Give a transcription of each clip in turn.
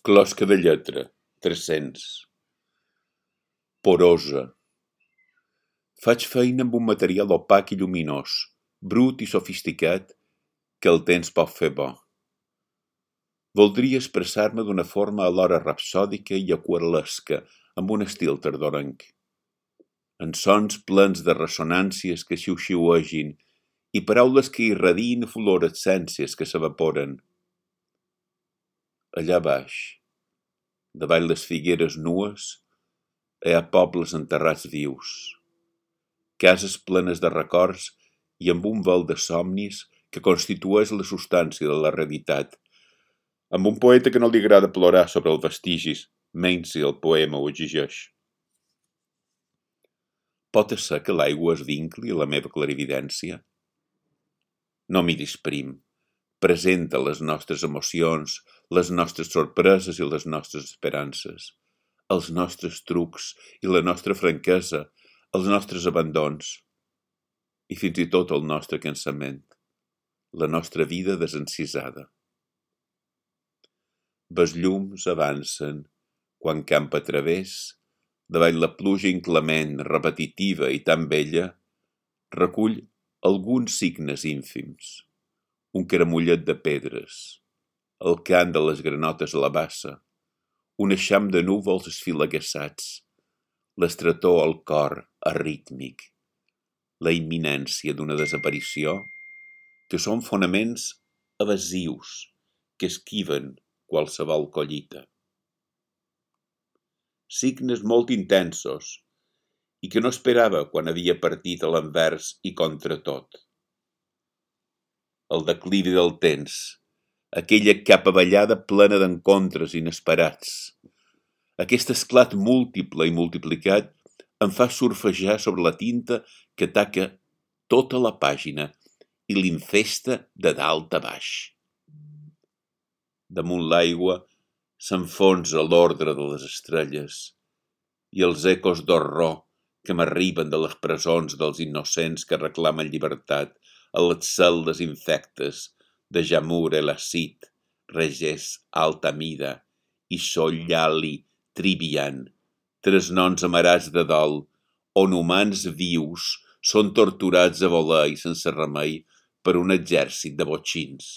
Closca de lletra, 300. Porosa. Faig feina amb un material opac i lluminós, brut i sofisticat, que el temps pot fer bo. Voldria expressar-me d'una forma alhora rapsòdica i aquarel·lesca, amb un estil tardorenc. En sons plens de ressonàncies que xiu-xiuegin i paraules que irradiïn fluorescències que s'evaporen. Allà baix, davall les figueres nues, hi ha pobles enterrats vius, cases plenes de records i amb un vel de somnis que constitueix la substància de la realitat, amb un poeta que no li agrada plorar sobre els vestigis, menys si el poema ho exigeix. Pot ser que l'aigua es vincli a la meva clarividència? No miris prim. Presenta les nostres emocions, les nostres sorpreses i les nostres esperances, els nostres trucs i la nostra franquesa, els nostres abandons i fins i tot el nostre cansament, la nostra vida desencisada. Les llums avancen, quan camp a través, davall la pluja inclement, repetitiva i tan bella, recull alguns signes ínfims. Un caramullet de pedres, el cant de les granotes a la bassa, un eixam de núvols esfilagueçats, l'estretor al cor arrítmic, la imminència d'una desaparició, que són fonaments evasius que esquiven qualsevol collita. Signes molt intensos i que no esperava quan havia partit a l'envers i contra tot. El declivi del temps, aquella capavallada plena d'encontres inesperats. Aquest esclat múltiple i multiplicat em fa surfejar sobre la tinta que taca tota la pàgina i l'infesta de dalt a baix. Damunt l'aigua s'enfonsa l'ordre de les estrelles i els ecos d'horror que m'arriben de les presons dels innocents que reclamen llibertat a les cel·les infectes de Jamur el-Acid, Regés Altamida i Sollali Trivian, tres noms amarats de dol, on humans vius són torturats a voler i sense remei per un exèrcit de botxins.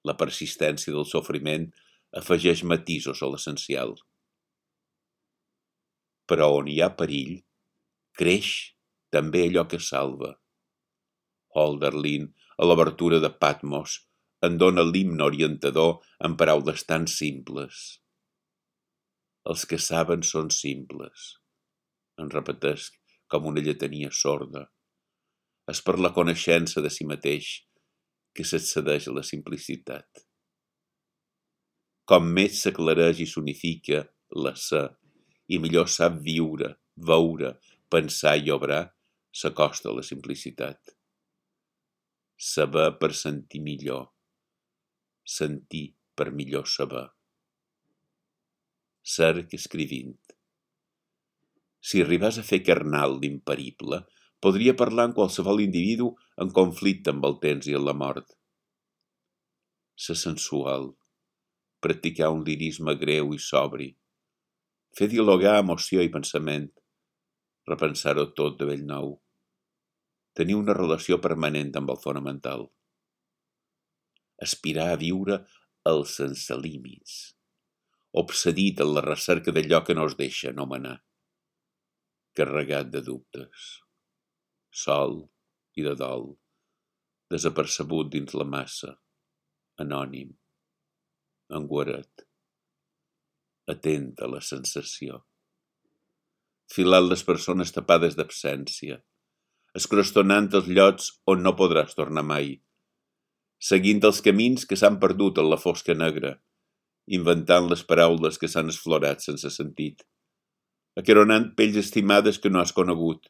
La persistència del sofriment afegeix matisos a l'essencial. Però on hi ha perill, creix també allò que salva. Hölderlin, a l'obertura de Patmos, en dona l'himne orientador en paraules tan simples. Els que saben són simples, en repeteix com una lletania sorda. És per la coneixença de si mateix que s'accedeix a la simplicitat. Com més s'aclareix i s'unifica l'ésser, i millor sap viure, veure, pensar i obrar, s'acosta a la simplicitat. Saber per sentir millor, sentir per millor saber. Cerc escrivint. Si arribàs a fer carnal l'imperible, podria parlar amb qualsevol individu en conflicte amb el temps i amb la mort. Ser sensual, practicar un lirisme greu i sobri, fer dialogar emoció i pensament, repensar-ho tot de bell nou, tenir una relació permanent amb el fonamental, aspirar a viure el sense límits, obsedit en la recerca d'allò que no es deixa anomenar, carregat de dubtes, sol i de dol, desapercebut dins la massa, anònim, enguarat, atent a la sensació, filant les persones tapades d'absència, escrostonant els llocs on no podràs tornar mai, seguint els camins que s'han perdut en la fosca negra, inventant les paraules que s'han esflorat sense sentit, aqueronant pells estimades que no has conegut,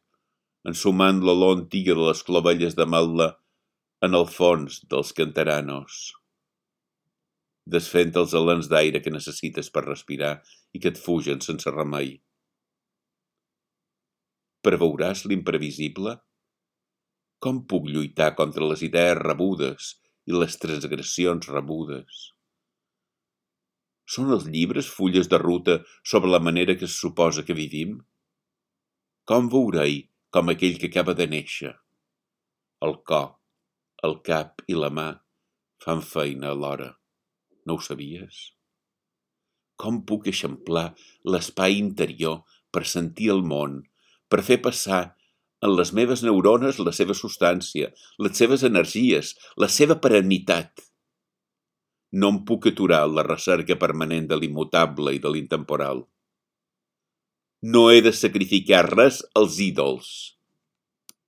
ensumant l'olor antiga de les clovelles de matla en el fons dels canteranos, desfent els alens d'aire que necessites per respirar i que et fugen sense remei. Preveuràs l'imprevisible? Com puc lluitar contra les idees rebudes i les transgressions rebudes? Són els llibres fulles de ruta sobre la manera que es suposa que vivim? Com veurei com aquell que acaba de néixer? El cor, el cap i la mà fan feina alhora. No ho sabies? Com puc eixamplar l'espai interior per sentir el món, per fer passar en les meves neurones la seva substància, les seves energies, la seva perennitat? No em puc aturar en la recerca permanent de l'immutable i de l'intemporal. No he de sacrificar res als ídols.